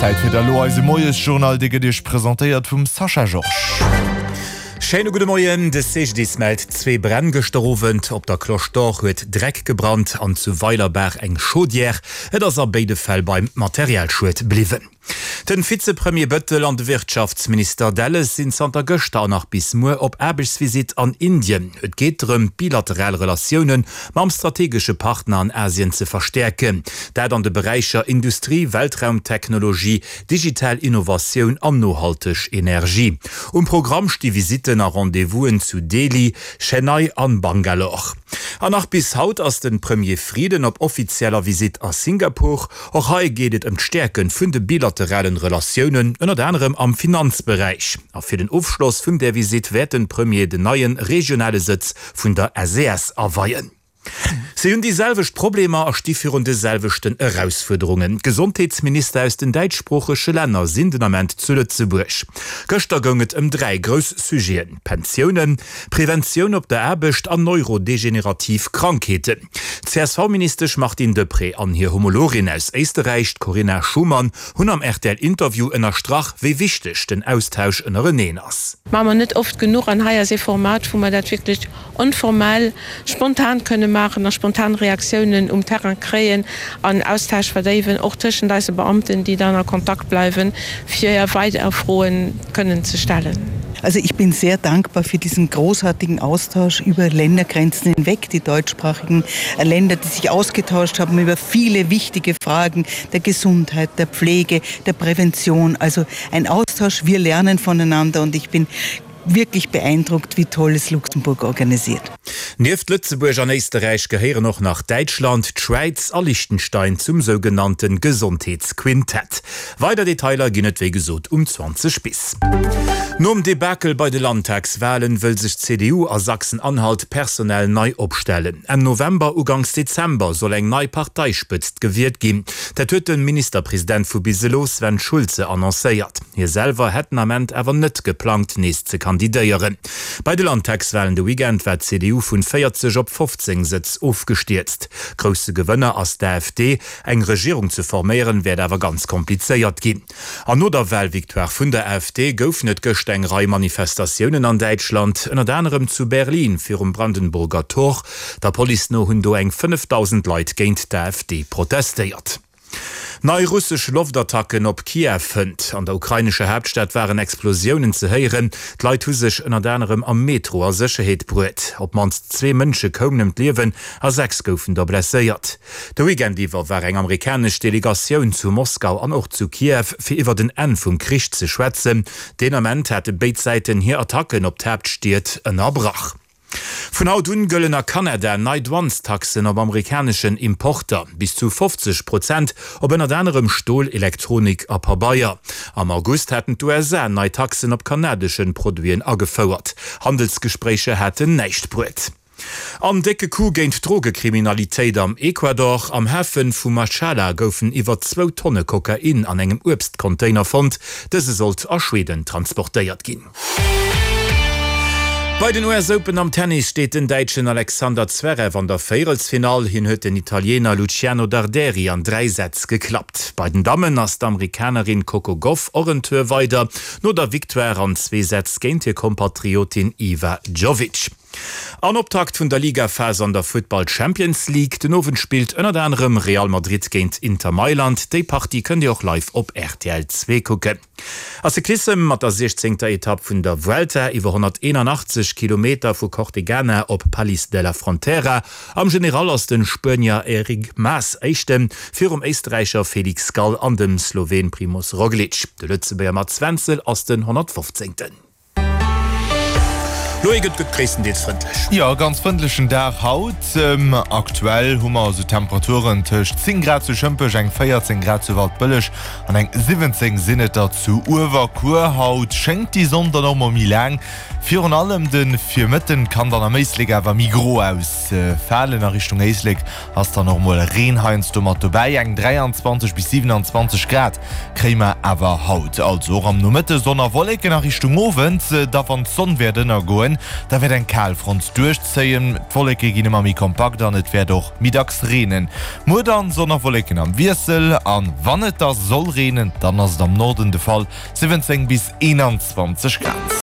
Zäit fir da lo eise Moiesjournal, dee gëtt Iech presentéiert vum Sascha Georges. Schéine gudde Moien. De CGDIS mellt zwee Bränn gëschter Owend. Op der Cloche d'Or huet Dreck gebrannt an zu Weilerbaach eng Chaudière. Et ass a béide Fäll beim Materialschued bliwwen. Den Vizepremier Bëttel an de Wirtschaftsminister Delles sinn zanter gëschter an nach bis muer op Aarbechtsvisitt an Indien. Et geet drëm, d'bilateral Relatioune mam strategesche Partner an Asien ze verstäerken. Dat an de Beräicher Industrie, Weltraumtechnologie, digital Innovatioun an nohalteg Energie. Um Programm sti Visitten a Rendez-vousen zu Delhi, Chennai an Bangalore. An nach bis haut ass de Premier Frieden op offizieller Visitt a Singapur. Och hei geet et ëm d'Stäerke vun de bilateralen Relatiounen, ënnert anerem am Finanzberäich. A fir den Ofschloss vun där Visitt wäert den Premier den neie regionale Sëtz vun der SES aweien. Si hunn déi selwecht Problemer a sti virun de selwechten Erausfuerderungen. D'Gesondheetsminister aus den däitschsproochege Länner sinn den Ament zu Lëtzebuerg. Gëschter goung et ëm 3 grouss Sujeten, Pensiounen, Preventioun op der Aarbecht an neurodegenerativ Krankheeten. D'CSV-Ministesch Martine Deprez an hir Homologin aus Éisterräich, d'Corinna Schumann, hunn am RTL-Interview ënnerstrach, wéi wichteg den Austausch ënnereneen ass. Maache mer net oft genuch an hei ass ee Format, wou mer dat wierklech onformell, spontan kënne maachen a spontan Reaktiounen um Terrain kréien an Austausch verdéiwen, och tëschent eise Beamten, déi dann a Kontakt bleiwen, fir weider Froen kënnen ze stellen. Also ich bin sehr dankbar für diesen großartigen Austausch über Ländergrenzen hinweg, die deutschsprachigen Länder, die sich ausgetauscht haben über viele wichtige Fragen der Gesundheit, der Pflege, der Prävention. Also ein Austausch, wir lernen voneinander und ich bin wirklich beeindruckt, wie toll es Luxemburg organisiert. Nieft Lëtzebuerg an Éisterräich gehéieren och nach Däitschland, d'Schwäiz a Liechtenstein zum sougenannte Gesondheetsquintett. Weider Detailer ginn et wéi gesot um 20 bis. Nom Debakel bei de Landtagswalen wëll sech d'CDU a Sachsen-Anhalt personell nei opstellen. Enn November, Uganks Dezember soll eng nei Parteispëtzt gewielt ginn. Dat huet de Ministerpresident vu bis elo, Sven Schulze, annoncéiert. Hie selwer hätt den Ament awer net geplangt, nees ze kandidéieren. Bei de Landtagswalen de Weekend war d'CDU vun 40 op 15 Sëtz ofgestierzt. Grousse Gewënner ass d'AfD. Eng Regierung ze forméieren, wäert awer ganz komplizéiert ginn. An no der Walvictoire vun der AfD goufen et gëscht eng Rei Manifestatiounen an Däitschland, ënnert anerem zu Berlin virum Brandenburger Tor. Der Police no hunn do eng 5.000 Leit géint d'AfD protestéiert. Nei russesch Loftattacken op Kiew fënnt. An der ukrainescher Haaptstad waren Explosiounen ze héieren. D'Leit hu sech ënnert anerem am Metro a Sécherheet bruet. Op d'mannst zwee Mënsche koumen ëm d'Liewen a 6 goufen der blesséiert. De Weekend iwwer war eng amerikanesch Delegatioun zu Moskau an och zu Kiew, fir iwwert en Enn vum Krich ze schwätzen. Deen Ament hate béid Säiten hir Attacken op d'Haaptstied ënnerbrach. Vun haut un gëllen a Kanada nei Douanestaxen op amerikaneschen Importer, bis zu 50 Prozent op ënnert anerem Stol, Elektronik a Pabeier. Am August haten d'USA nei Taxen op kanadeschen Produiten agefouert. Handelsgespréicher haten näischt bruet. An décke Coup géint d'Drogekriminalitéit am Ecuador, Am Hafe vu Machala goufen iwwer zwou Tonne Kokain an engem Uebstcontainer fonnt. Dëse sollt a Schweden transportéiert ginn. Bei den US Open am Tennis steet den Däitschen Alexander Zverev an der Véierelsfinall. Hien huet den Italiener Luciano Darderi an 3 Sätz geklappt. Bei den Dammen ass d'Amerikanerin Coco Gauff och en Tour weider, no der Victoire an zwee Sätz géint hir Kompatriotin Iva Jovic. An Optakt vun der Ligaphas an der Futtball Champions League. Den Owend spillt ënnert anerem Real Madrid géint Inter Mailand. Déi Partie kënnt Dir och live op rtl 2 kucken. A Cyclissem mat der 16. Etapp vun der Vuelta iwwer 181 Kilometer vu Cortegana op Palis de la Frontera. Am General ass de Spuenier Enric Mas Éischten, virum Éisterräicher Felix Gall an dem Sloween Primoz Roglic. De Lëtzebuerger Mats Wenzel ass den 115. Loïc, et gëtt gréisstendeels frëndlech. Jo, e ganz frëndlechen Dag haut. Aktuell hu mer esou Temperaturen tëscht 10 Grad zu Schëmpech, eng 14 Grad zu Waldbëlleg an eng 17 sinn et der zu Uewerkuer. Haut schéngt déi Sonn dann och mol méi laang. Virun allem de Virmëtten kann dann am Éislek awer méi gro ausfalen. A Richtung Éislek ass dann och mol Reen heiansdo mat dobäi. Eng 23 bis 27 Grad kréie mer awer haut. Also och am Nomëtte Sonn a Wolleken, a Richtung Owend da wann d'Sonn wäert ënnergoen. goen. Da wäert eng Kalfront duerchzéien, d'Wolleke ginn ëmmer méi kompakt an et wäert och méi dacks reenen. Muer dann Sonn a Wolleken am Wiessel an wann et da soll reenen, dann ass et am Norden de Fall, 17 bis 21 Grad.